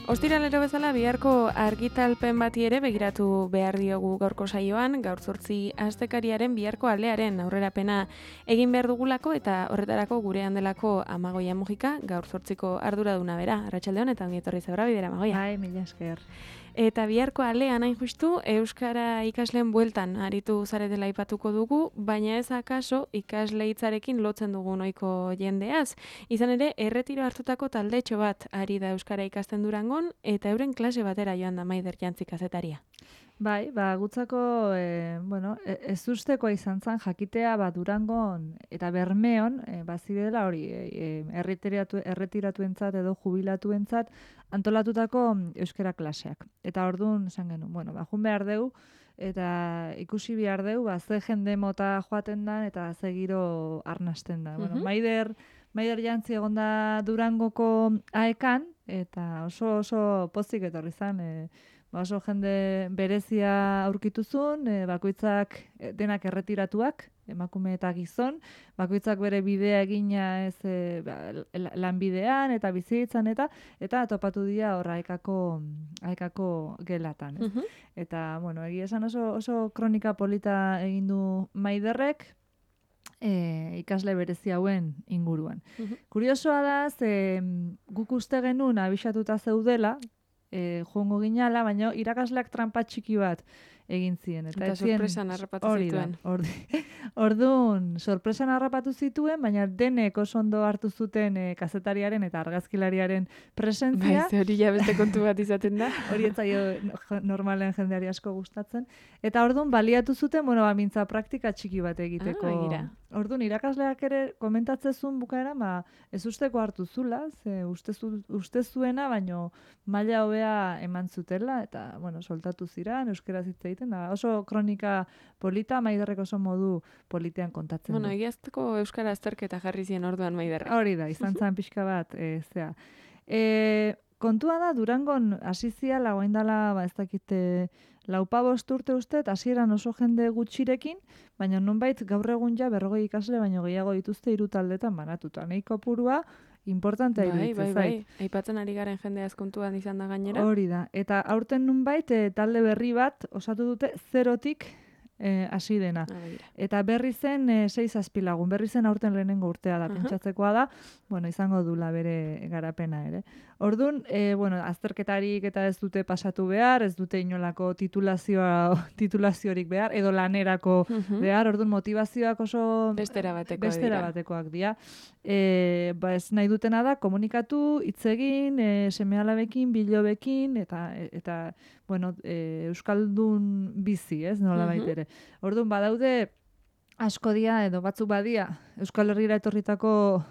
Ostiralero bezala biharko argitalpen bati ere begiratu behar diogu gaurko saioan, gaur 8 astekariaren biharko alearen aurrerapena egin behar dugulako eta horretarako gurean delako Amagoia Mujika, gaur 8ko arduraduna bera. Arratsaldeon eta ongi etorri zaura bidera, Amagoia. Bai, mila esker. Eta biharko alean hain justu euskara ikasleen bueltan aritu zaretela aipatuko dugu, baina ez akaso ikasle hitzarekin lotzen dugun ohiko jendeaz. Izan ere, erretiro hartutako taldetxo bat ari da euskara ikasten Durangon eta euren klase batera joan da Maider Jantzi kazetaria. Bai, gutzako, ez ustekoa izan zen jakitea Durangon eta Bermeon, bazirela hori erretiratuentzat edo jubilatuentzat antolatutako euskara klaseak. Eta orduan esan genuen, jun behar dugu eta ikusi behar dugu, ze jende mota joaten da eta ze giro arnasten da. Maider Jantzi egon da Durangoko aekan eta oso pozik etorri zen, oso jende berezia aurkituzun, bakoitzak denak erretiratuak, emakume eta gizon, bakoitzak bere bidea egina ez lanbidean eta bizitzan eta topatu dira hor aekako gelatan. Eta, egia esan oso kronika polita egin du Maiderrek, ikasle berezi hauen inguruan. Kuriosoa da, guk uste genuen abisatuta zeudela, joango ginala, baina irakasleak trampa txiki bat egin ziren. Eta sorpresan harrapatu zituen. Orduan, sorpresan harrapatu zituen, baina denek oso ondo hartu zuten kazetariaren eta argazkilariaren presentzia. Bai, hori ja beste kontu bat izaten da. Hori etzaio normalen jendeari asko gustatzen. Eta orduan, baliatu zuten, mintza praktika txiki bat egiteko. Orduan, irakasleak ere komentatzezun bukaera, ez usteko hartu zula, uste zuena, baino maila hobea eman zutela, eta, soltatu ziran, euskera egiten da. Oso kronika polita, Maiderrek oso modu politean kontatzen du. Egiazteko euskara azterketa jarri zien orduan Maiderrek. Hori da, izan zen pixka bat, kontua da, Durangon asiziala, oaindala, ez dakite, 4-5 urte uste, hasieran oso jende gutxirekin, baina nonbait gaur egun ja 40 ikasle baino gehiago dituzte 3 taldetan banatuta. Nei kopurua importantea iruditzen zait. Bai. Aipatzen ari garen jende azkontuan izan da gainera. Hori da. Eta aurten nonbait talde berri bat osatu dute 0tik hasi dena. Eta berri zen 6 azpilagun. Berri zen aurten lehenengo urtea da, pentsatzekoa da. Izango dula bere garapena ere. Orduan, azterketarik eta ez dute pasatu behar, ez dute inolako titulaziorik behar, edo lanerako behar, orduan motivazioak oso bestera batekoak dira. Ez nahi dutena da, komunikatu, hitz egin, seme-alabekin, bilobekin, eta euskaldun bizi, ez, nola baitere. Orduan, badaude asko dia, edo batzuk badia, Euskal Herrira etorritako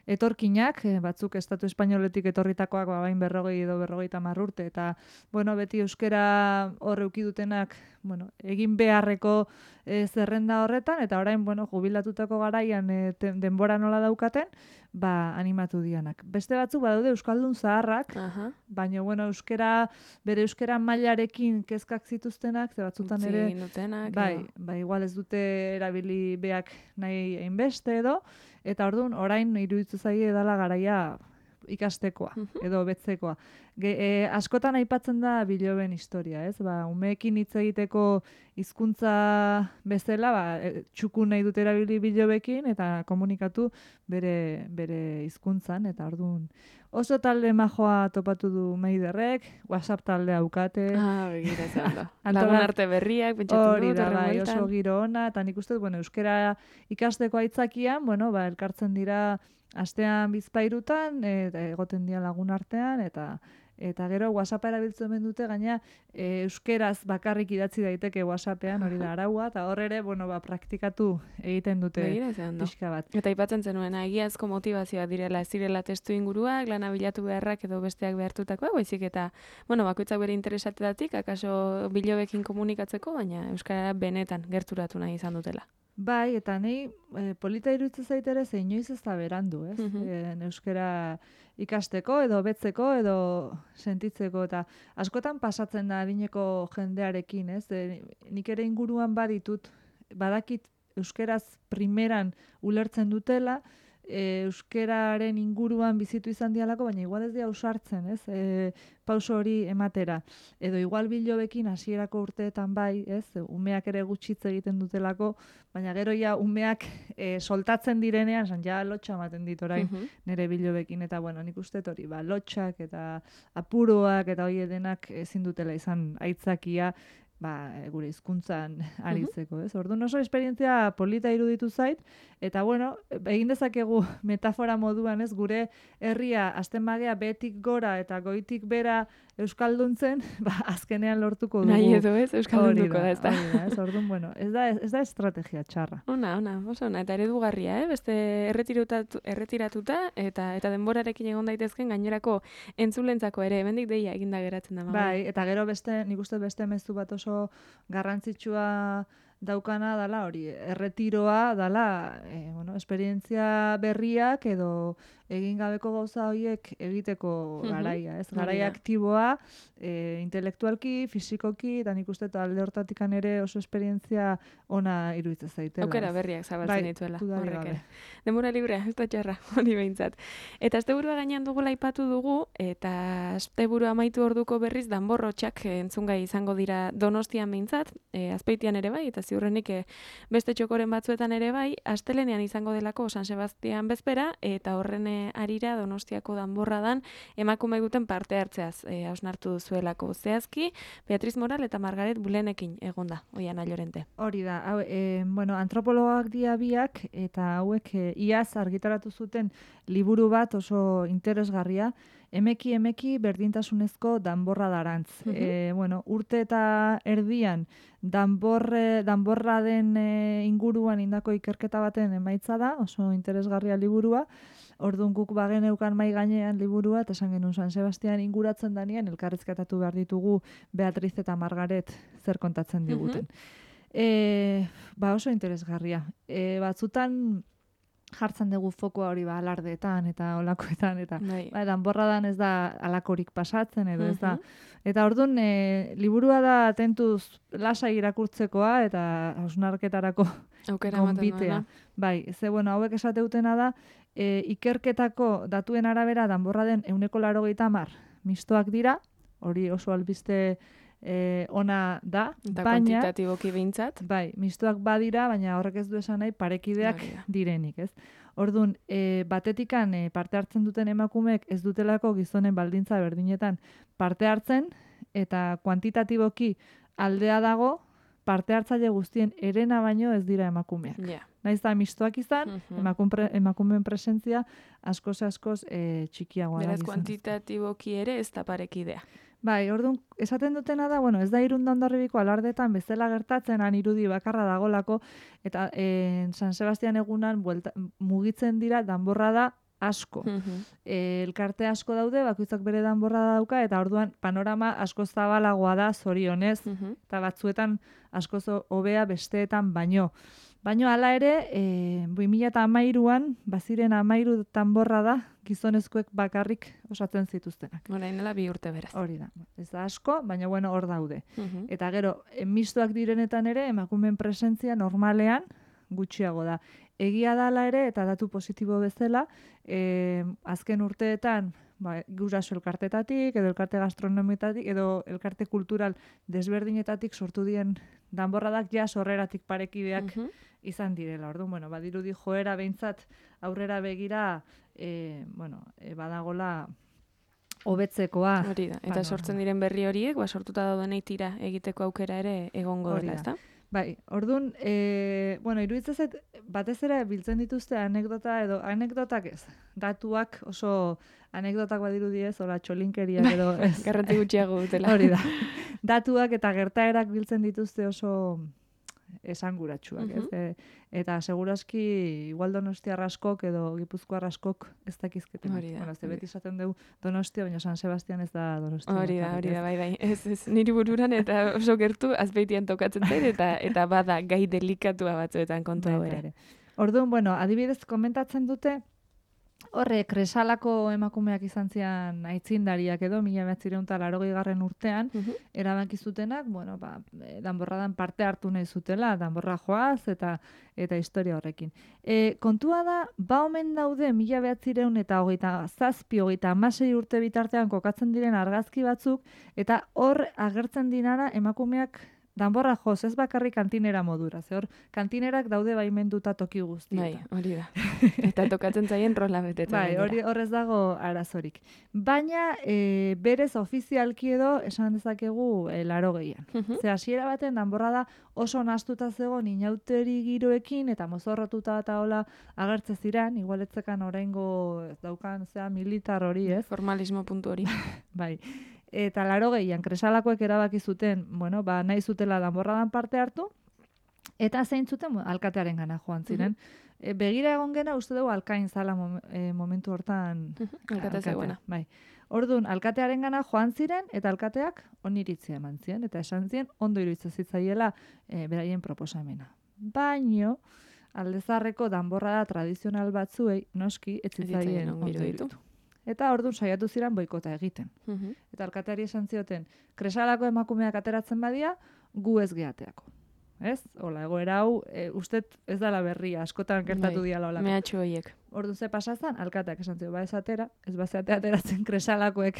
etorkinak, batzuk estatu espainoletik etorritakoak bain 40 edo 50 urte, eta beti euskera hor eukidutenak egin beharreko zerrenda horretan, eta orain jubilatutako garaian denbora nola daukaten, animatu dianak. Beste batzuk badaude euskaldun zaharrak, baina bere euskera mailarekin kezkak zituztenak, ze batzutan ere, igual ez dute erabili beak nahi hainbeste edo, eta orduan orain iruditzen zaie dela garaia ikastekoa edo betzekoa. Askotan aipatzen da biloben historia, ez? Umeekin hitz egiteko hizkuntza bezala, txukun nahi dute erabili bilobekin eta komunikatu bere hizkuntzan, eta orduan oso talde majoa topatu du Maiderrek, WhatsApp talde aukate. Begira zen da. Lagun arte berriak, pentsatu dut, bai, oso giro ona, eta nik uste, euskera ikasteko aitzakian, elkartzen dira astean bizpairutan, egoten dira lagun artean, eta gero WhatsAppa erabiltzen dute, gaina euskeraz bakarrik idatzi daiteke WhatsAppean, hori da araua, eta hor ere, praktikatu egiten dute pixka bat. Eta aipatzen zenuen, egiazko motivazioa direla, ez direla testu inguruak, lana bilatu beharrak edo besteak behartutakoa, baizik eta, bakoitzak bere interesatetatik, akaso bilobekin komunikatzeko, baina euskara benetan gerturatu nahi izan dutela. Bai, eta nahi polita iruditzen zaitere ze inoiz ez da berandu, ez? Euskara ikasteko edo betzeko edo sentitzeko, eta askotan pasatzen da adineko jendearekin, ez? Nik ere inguruan badakit euskeraz primeran ulertzen dutela, euskeraren inguruan bizitu izan dialako, baina igual ez dira ausartzen, ez? Pauso hori ematera. Edo igual bilobekin hasierako urteetan bai, ez? Umeak ere gutxitz egiten dutelako, baina gero ja umeak soltatzen direnean, ja lotxa ematen dit orain nire bilobekin, eta bueno, nik uste hori, lotxak eta apuroak eta hori denak ezin dutela izan aitzakia, gure hizkuntzan aritzeko, ez? Orduan oso esperientzia polita iruditu zait, eta bueno, egin dezakegu metafora moduan, ez? Gure herria azten bagea betik gora eta goitik bera euskalduntzen, azkenean lortuko dugu. Nahi edo ez, euskaldunduko da, ez da. Ez, orduan, bueno, ez da estrategia txarra. Ona, oso ona, eta eredugarria, beste erretiratuta, eta denborarekin egon daitezken gainerako entzulentzako ere, hemendik deia eginda geratzen da. Bai, eta gero nik uste beste mezu bat oso garrantzitsua daukana dala hori, erretiroa dala, esperientzia berriak edo egin gabeko gauza horiek egiteko garaia, ez? Garaia aktiboa, intelektualki, fisikoki, eta nik uste alde hortatikan ere oso esperientzia ona iruditzen zaitela. Aukera berriak zabaltzen dituela, horrek ere. Denbora librea, ez da txarra, hori behintzat. Eta asteburua gainean dugula aipatu dugu, eta asteburua amaitu orduko berriz danborrotxak entzungai izango dira Donostian behintzat, Azpeitian ere bai, eta ziurrenik beste txokoren batzuetan ere bai, astelenean izango delako San Sebastian bezpera, eta horren arira Donostiako danborradan emakume duten parte hartzeaz hausnartu zuelako zehazki, Beatriz Moral eta Margaret Bulenekin egonda, Oiana Llorente. Hori da, antropologoak dira biak, eta hauek iaz argitaratu zuten liburu bat oso interesgarria, emeki berdintasunezko danborra darantz. Urte eta erdian danborra den inguruan indako ikerketa baten emaitza da, oso interesgarria liburua. Orduan guk bageneukan mai gainean liburua, eta esan genuen San Sebastian inguratzen danean, elkarrizketatu behar ditugu Beatriz eta Margaret zer kontatzen diguten. Oso interesgarria. Batzutan jartzen dugu fokoa hori alardeetan eta olakoetan, eta danborradan ez da alakorik pasatzen, edo ez da. Eta orduan, liburua da tentuz lasai irakurtzekoa, eta hausnarketarako gonbitea. Bai, hauek esateutena da, ikerketako datuen arabera danborra den 180 mistoak dira, hori oso albiste ona da, eta kuantitatiboki behintzat. Bai, mistoak badira, baina horrek ez du esan nahi parekideak direnik, ez? Orduan, batetikan parte hartzen duten emakumeek ez dutelako gizonen baldintza berdinetan parte hartzen, eta kuantitatiboki aldea dago, parte hartzaile guztien herena baino ez dira emakumeak. Naiz da mistoak izan, emakumeen presentzia askoz txikiagoa da. Beraz, kuantitatiboki ere ez da parekidea. Bai, orduan, esaten dutena da, ez da Irundan Hondarribiko alardetan bezala gertatzen, han irudi bakarra dagolako, eta San Sebastian egunan mugitzen dira danborra da asko. Elkarte asko daude, bakoitzak bere danborra dauka, eta orduan panorama asko zabalagoa da, zorionez, eta batzuetan asko hobea besteetan baino. Baina hala ere, 2013an, baziren 13 danborra da, gizonezkoek bakarrik osatzen zituztenak. Orainela 2 urte beraz. Hori da. Ez da asko, baina hor daude. Eta gero, mistoak direnetan ere, emakumeen presentzia normalean gutxiago da. Egia dala ere, eta datu positibo bezala, azken urteetan, guraso elkartetatik, edo elkarte gastronomitatik, edo elkarte kultural desberdinetatik sortu dien danborradak sorreratik parekideak izan direla. Orduan, badirudi joera behintzat aurrera begira, badagola hobetzekoa. Hori da, eta sortzen diren berri horiek, sortuta daudenei tira egiteko aukera ere egongo dela, ezta? Bai, orduan, iruditzen zait, batez ere biltzen dituzte anekdota edo anekdotak ez. Datuak oso anekdotak badirudi ez, hola txolinkeriak edo ez. Garrantzi gutxiago dutela. Hori da. Datuak eta gertaerak biltzen dituzte oso esanguratsuak, ez? Eta segurazki igual Donostiar askok edo Gipuzkoar askok ez dakizketen. Hori da. Beti esaten dugu Donostia, baina San Sebastian ez da Donostia. Hori da, bai. Ez niri bururan eta oso gertu Azpeitian tokatzen zait, eta bada gai delikatua batzuetan kontua ere. Orduan, adibidez komentatzen dute, Horre, Kresalako emakumeak izan zian aitzindariak edo, 1980 urtean, erabaki zutenak, bueno, danborradan parte hartu nahi zutela, danborra joaz eta historia horrekin. Kontua da, omen daude 1927-26 urte bitartean kokatzen diren argazki batzuk, eta hor agertzen dinara emakumeak danborra joz, ez bakarrik kantinera modura. Ze hor, kantinerak daude baimenduta toki guztietan. Bai, hori da. Eta tokatzen zaien rola betetzen. Bai, horrez dago arazorik. Baina, berez ofizialki edo esan dezakegu 80an. Ze hasiera baten danborra da oso nahastuta zegoen inauteri giroekin eta mozorrotuta eta hola agertze ziren, igualetzekan oraingo daukan militar hori, ez? Formalismo puntu hori. Bai. Eta 80an Kresalakoek erabaki zuten, bueno, nahi zutela danborradan parte hartu, eta zein zuten alkatearen gana joan ziren. Begira egon gena uste dugu alkain zala momentu hortan. Alkate zegoena. Bai. Orduan, alkatearen gana joan ziren, eta alkateak oniritzia eman ziren, eta esan ziren ondo iruditzen zitzaiela beraien proposamena. Baino, aldezarreko danborrada tradizional batzuei, noski, ez zitzaien ondo iruditu. Eta orduan saiatu ziren boikota egiten. Eta alkateari esan zioten, Kresalako emakumeak ateratzen badia, gu ez geateako. Ez? Hola, egoera hau, ustet ez dala berria, askotan gertatu diala holako. Mehatxo horiek. Orduan ze pasazan, alkateak esan zio, ez atera, ez bazeatea ateratzen Kresalakoek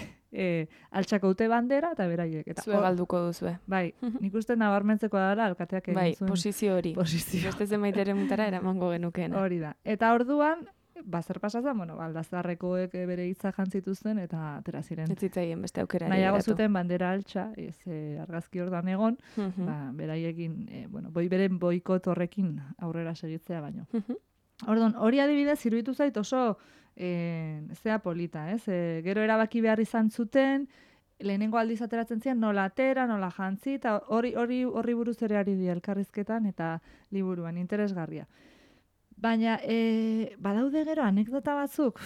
altxako ute bandera, eta beraiek. Zue galduko duzue. Bai, nik uste nabarmentzeko dara alkateak egin zuen. Bai, posizio hori. Beste zenbaitere mutara eramango genukeen. Hori da. Eta orduan, zer pasazan, bueno, aldazarrekoek bere hitza jantzituzten eta atera ziren. Ez zitzaien beste aukera. Nahiago zuten bandera altxa, argazki ordan egon, beraiekin, beren boikot horrekin aurrera segitzea baino. Orduan, hori adibidez, iruditu zait oso zea polita, ez? Gero erabaki behar izan zuten, lehenengo aldiz ateratzen ziren, nola atera, nola jantzi, eta hori buruz ere ari di elkarrizketan eta liburuan, interesgarria. Baina, badaude gero anekdota batzuk,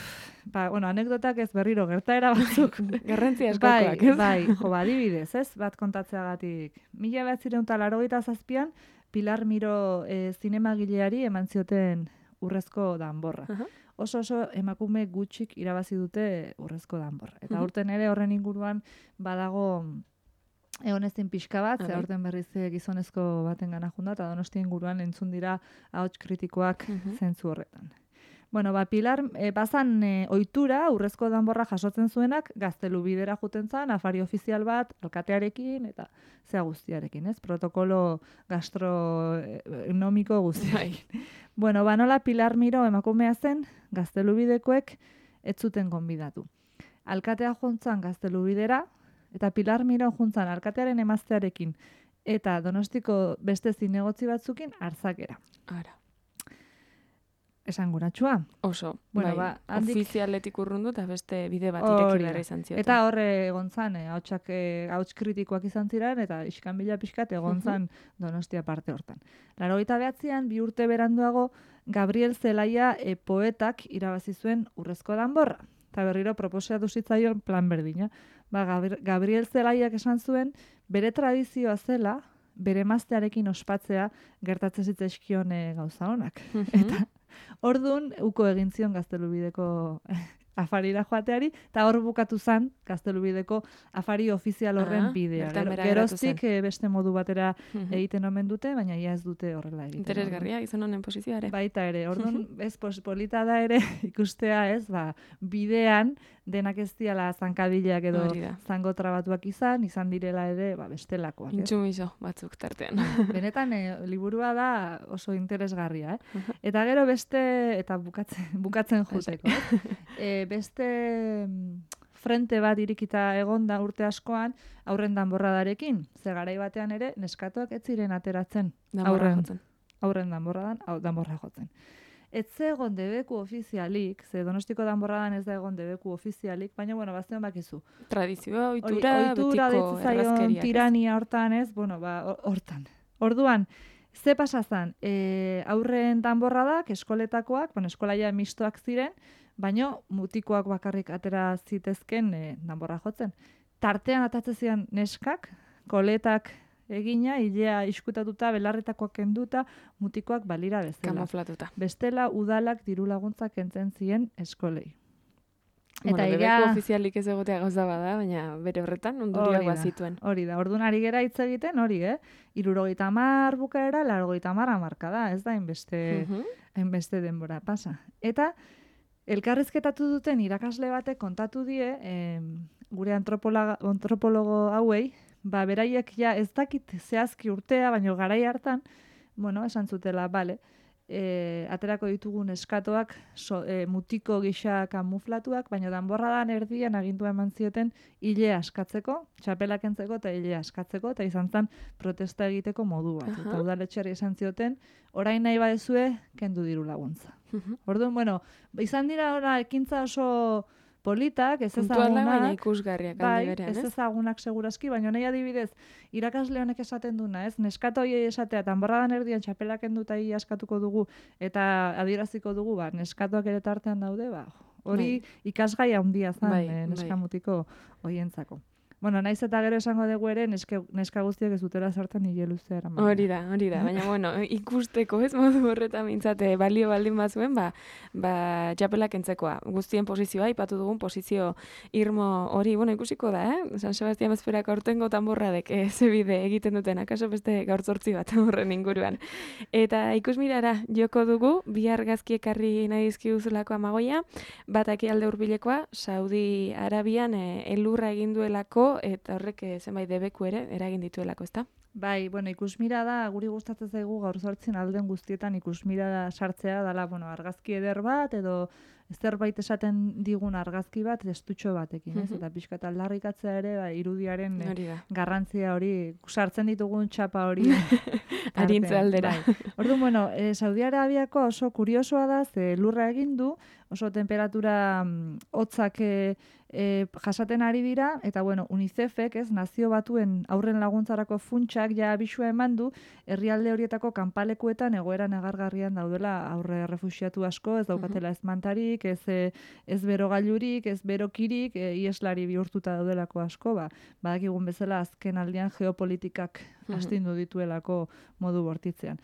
anekdotak ez berriro, gertaera batzuk. Garrantzia askokoak, ez? Bai, adibidez, ez? Bat kontatzeagatik. 1987an, Pilar Miro zinemagileari eman zioten urrezko danborra. Oso emakume gutxik irabazi dute urrezko danborra. Eta aurten ere horren inguruan badago egon ezin pixka bat, ze aurten berriz gizonezko baten gana junda, eta Donosti inguruan entzun dira ahots kritikoak zentzu horretan. Bueno, Pilar, bazan ohitura urrezko danborra jasotzen zuenak, Gaztelubidera juten zan, afari ofizial bat, alkatearekin, eta zea guztiarekin, ez? Protokolo gastronomiko guztiarekin. Bueno, nola Pilar Miro emakumea zen, Gaztelubidekoek ez zuten gonbidatu. Alkatea jontzan Gaztelubidera, eta Pilar Miro juntzan alkatearen emaztearekin eta Donostiko beste zinegotzi batzukin Arzakera. Ara. Esanguratsua. Oso. Bueno, ofizialetik urrundu eta beste bide bat ireki behar izan zioten. Eta horre egon zan, ahots kritikoak izan ziren, eta iskanbila pixkat egon zan Donostia parte hortan. 89an, 2 urte beranduago, Gabriel Zelaia poetak irabazi zuen urrezko danborra. Eta berriro proposatu zitzaion plan berdina. Gabriel Zelaiak esan zuen, bere tradizioa zela, bere emaztearekin ospatzea gertatzen zitzaizkion gauza honak. Eta orduan, uko egin zion Gaztelubideko afarira joateari, eta hor bukatu zen Gaztelubideko afari ofizial horren bidea. Geroztik beste modu batera egiten omen dute, baina ia ez dute horrela egiten. Interesgarria, izan honen posizioare. Baita ere, orduan, ez polita da ere ikustea, ez, bidean denak ez diala zankadilak edo zango trabatuak izan direla ere bestelakoak. Intsumiso batzuk tartean. Benetan, liburua da oso interesgarria, Eta gero beste, eta bukatzen juteko, beste frente bat irikita egonda urte askoan aurren danborradarekin. Ze garai batean ere, neskatoak ez ziren ateratzen aurren danborra jotzen. Ez egon debeku ofizialik, ze Donostiko danborradan ez da egon debeku ofizialik, baina, bazion bakizu. Tradizioa, ohitura, betiko errazkeriak. Tirania hortan ez, hortan. Orduan, ze pasazan, aurren danborradak, eskoletakoak, eskolaia mistoak ziren, baina mutikoak bakarrik atera zitezken danborra jotzen. Tartean atatzen ziren neskak, koletak egina, ilea iskutatuta, belarretakoak kenduta, mutikoak balira bezala. Kamuflatuta. Bestela udalak diru laguntzak kentzen zien eskolei. Eta debeku ofizialik ez egotea gauza bada, baina bere horretan ondorioak bazituen. Hori da, orduan ari gera hitz egiten, hori, 70 bukaera, 80 hamarkada, ez da hainbeste denbora pasa. Eta elkarrizketatu duten irakasle batek kontatu die, gure antropologo hauei, beraiek ja ez dakit zehazki urtea, baina garai hartan, esan zutela, bale, aterako ditugun eskatoak mutiko gisa kamuflatuak, baina danborradan erdian agindua eman zioten ile askatzeko, txapela kentzeko eta ile askatzeko, eta izan zen protesta egiteko modu bat. Eta udaletxeari esan zioten, orain nahi badezue, kendu diru laguntza. Orduan, izan dira ekintza oso politak, ez ezagunak, baina ikusgarriak aldi berean, ez ezagunak segurazki, baina nahi adibidez, irakasle honek esaten duna, ez? Neskato hori esatea, tanborradan erdian txapelak enduta askatuko dugu, eta adieraziko dugu, neskatoak ere tartean daude, hori ikasgai handia zen neskamutiko hoientzako. Naiz eta gero esango dugu ere, neska guztiak ez dutela sartzen hile luzea eraman. Hori da. Baina, ikusteko ez modu horretan mintzate balio baldin bazuen, txapelak entzekoa. Guztien posizioa, ipatu dugun posizio irmo hori, ikusiko da, San Sebastian bezperak aurtengo tanborradek zebide egiten duten, akaso beste gaur zortzi bat horren inguruan. Eta ikusmirara joko dugu, bi argazki ekarri nahi dizkiguzulako Amagoia, bat ekialde hurbilekoa, Saudi Arabian elurra egin duelako, eta horrek zenbait debeku ere eragin dituelako, ezta? Bai, ikusmirada guri gustatzen zaigu gaur zortzen alden guztietan ikusmirada sartzea dela, argazki eder bat edo zerbait esaten digun argazki bat estutxo batekin, ez? Eta pixkat aldarrikatzea ere irudiaren garrantzia hori sartzen ditugun txapa hori arintze aldera. Orduan, Saudi Arabiako oso kuriosoa da, ze lurra egin du, oso temperatura hotzak jasaten ari dira, eta UNICEFek, Nazio Batuen aurren laguntzarako funtsak ja abisua eman du, herrialde horietako kanpalekuetan egoera negargarrian daudela aurre refuxiatu asko, ez daukatela ez mantarik, ez berogailurik, ez berokirik, ieslari bihurtuta daudelako asko, badakigun bezala azken aldian geopolitikak astindu dituelako modu bortitzean.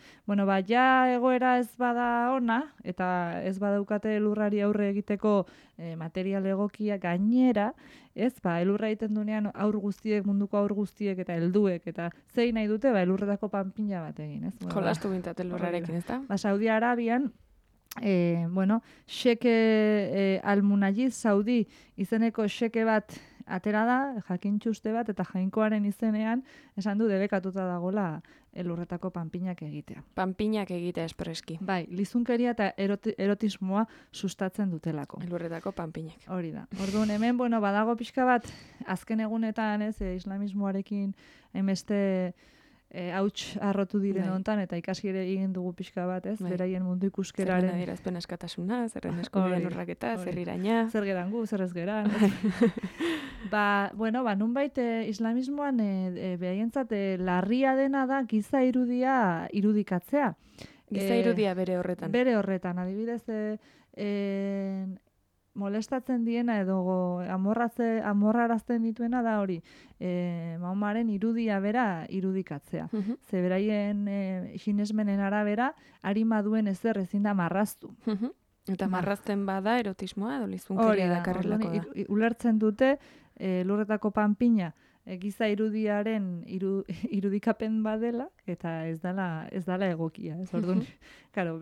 Ja egoera ez bada ona, eta ez badaukate lurrari aurre egiteko material egokia gainera, elurra egiten dunean munduko aur guztiek eta helduek, eta zein nahi dute, elurretako panpina bat egin, ez? Jolastu bintzat elurrarekin, ez da? Saudi Arabian, Sheke Al-Munajiz Saudi izeneko sheke bat atera da, jakintxuste bat, eta jainkoaren izenean esan du debekatuta dagola elurretako panpinak egitea. Panpinak egitea espreski. Bai, lizunkeria eta erotismoa sustatzen dutelako. Elurretako panpinak. Hori da. Orduan hemen, badago pixka bat, azken egunetan, islamismoarekin hainbeste hauts arrotu diren hontan, eta ikasi ere egin dugu pixka bat, beraien mundu ikuskeraren. Zerren adierazpen askatasuna, zerren eskubideen urraketa, zer iraina. Zer geran gu, zer ez geran. Nunbait islamismoan behaientzat larria dena da giza irudia irudikatzea. Giza irudia bere horretan. Bere horretan, adibidez, molestatzen diena edo amorrarazten dituena da hori. Mahomaren irudia bera irudikatzea. Ze beraien sinesmenen arabera, arima duen ezer ezin da marraztu. Eta marrazten bada erotismoa edo lizunkeria dakarrelako da. Ulertzen dute lurretako panpina giza irudiaren irudikapen badela, eta ez dela egokia. Orduan,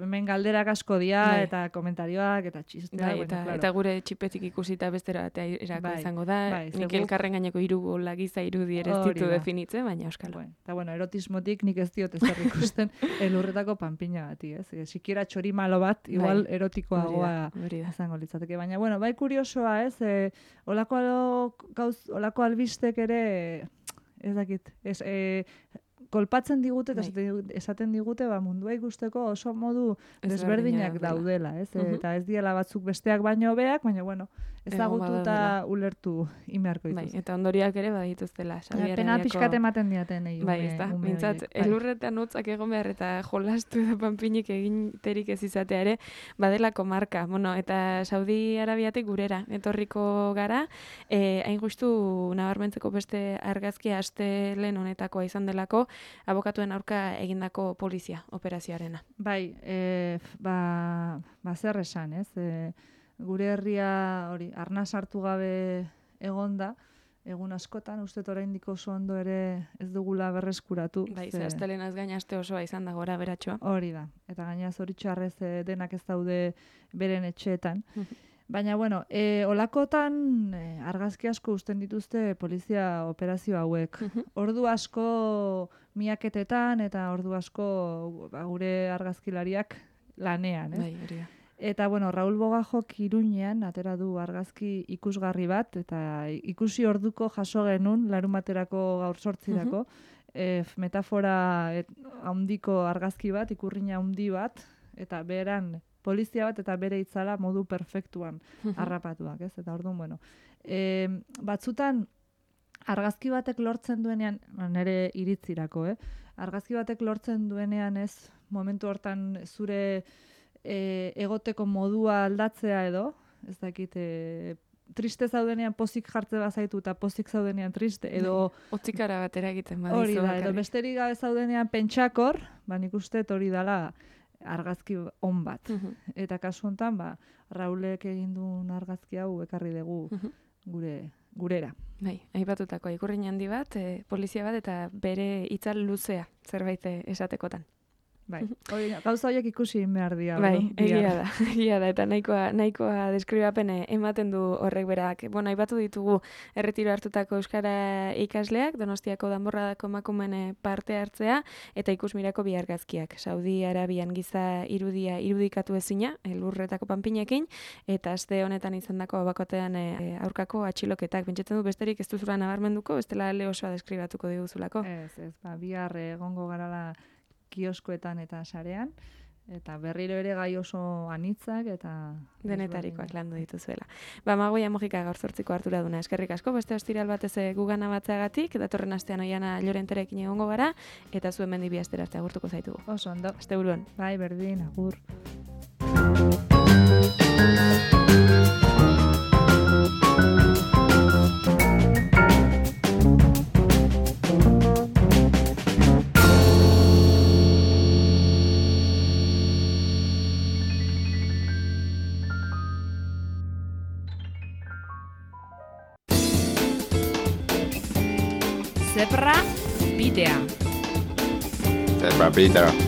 hemen galderak asko dira, eta komentarioak, eta txisteak. Eta gure txipetik ikusita bestera erako izango da. Nik elkarren gaineko irubola giza irudi ere ez ditu definitzen, baina euskalo. Eta erotismotik nik ez diot ezer ikusten elurretako panpina bati. Sikiera txorimalo bat, igual erotikoagoa izango litzateke. Baina, bai kuriosoa, olako albistek ere ez dakit, kolpatzen digute eta esaten digute mundua ikusteko oso modu desberdinak daudela, eta ez diela batzuk besteak baino hobeak, baina ezagututa ulertu inbeharko dituz. Eta ondoriak ere badituztela. Pena pixkat ematen diaten mintzat, elurretan hotzak egon behar eta jolastu edo panpinik eginterik ez izatea ere, badelako marka. Eta Saudi Arabiatik gurera etorriko gara, hain justu nabarmentzeko beste argazkia astelehen honetakoa izan delako, abokatuen aurka egindako polizia operazioarena. Bai, zer esan, ez? Gure herria hori arnaz hartu gabe egonda, egun askotan, uste oraindik oso ondo ere ez dugula berreskuratu. Bai, astelenaz gain aste osoa izan da gora beratxoa. Hori da, eta gaina zoritxarrez denak ez daude beren etxeetan. Baina, bueno, olakotan argazki asko uzten dituzte polizia operazio hauek. Ordu asko miaketetan eta ordu asko gure argazkilariak lanean, ez? Bai, hori da. Eta, bueno, Raul Bogajok Iruñean atera du argazki ikusgarri bat, eta ikusi orduko jaso genuen, larumaterako gaur 8irako, metafora handiko argazki bat, ikurriña handi bat, eta beran polizia bat eta bere itzala modu perfektuan harrapatuak, ez? Eta orduan, bueno, batzutan argazki batek lortzen duenean, nire iritzirako, argazki batek lortzen duenean ez, momentu hortan zure egoteko modua aldatzea edo, ez dakit, triste zaudenean pozik jartze bazaitu eta pozik zaudenean triste, edo... Otzikara batera egiten badizu. Hori da, edo besterik gabe zaudenean pentsakor, nik uste hori dala argazki on bat. Eta kasu honetan, Raulek egin duen argazki hau ekarri dugu gurera. Bai, aipatutako ikurrin handi bat, polizia bat eta bere itzal luzea zerbait esatekotan. Bai, gauza horiek ikusi behar dira. Bai, egia da, eta nahikoa deskribapen ematen du horrek berak. Bueno, aipatu ditugu erretiro hartutako euskara ikasleak, Donostiako Danborradako emakumeen parte hartzea, eta ikusmirako bi argazkiak. Saudi Arabian giza irudia irudikatu ezina, lurretako panpinekin, eta aste honetan izandako abakotean aurkako atxiloketak. Pentsatzen du besterik ez duzula nabarmenduko, bestela ale osoa deskribatuko diguzulako. Ez, bihar egongo garala kioskoetan eta sarean, eta berriro ere gai oso anitzak, eta... Denetarikoak landu dituzuela. Magoia Mojika gaur 8ko harturaduna, eskerrik asko, beste ostiral batez gugana batzeagatik, datorren astean Oiana Llorenterekin egongo gara, eta zuen mendi bi astera arte agurtuko zaitugu. Oso ondo. Asteburuan. Bai, berdin, agur. Zebra bidea. Zebra bidea.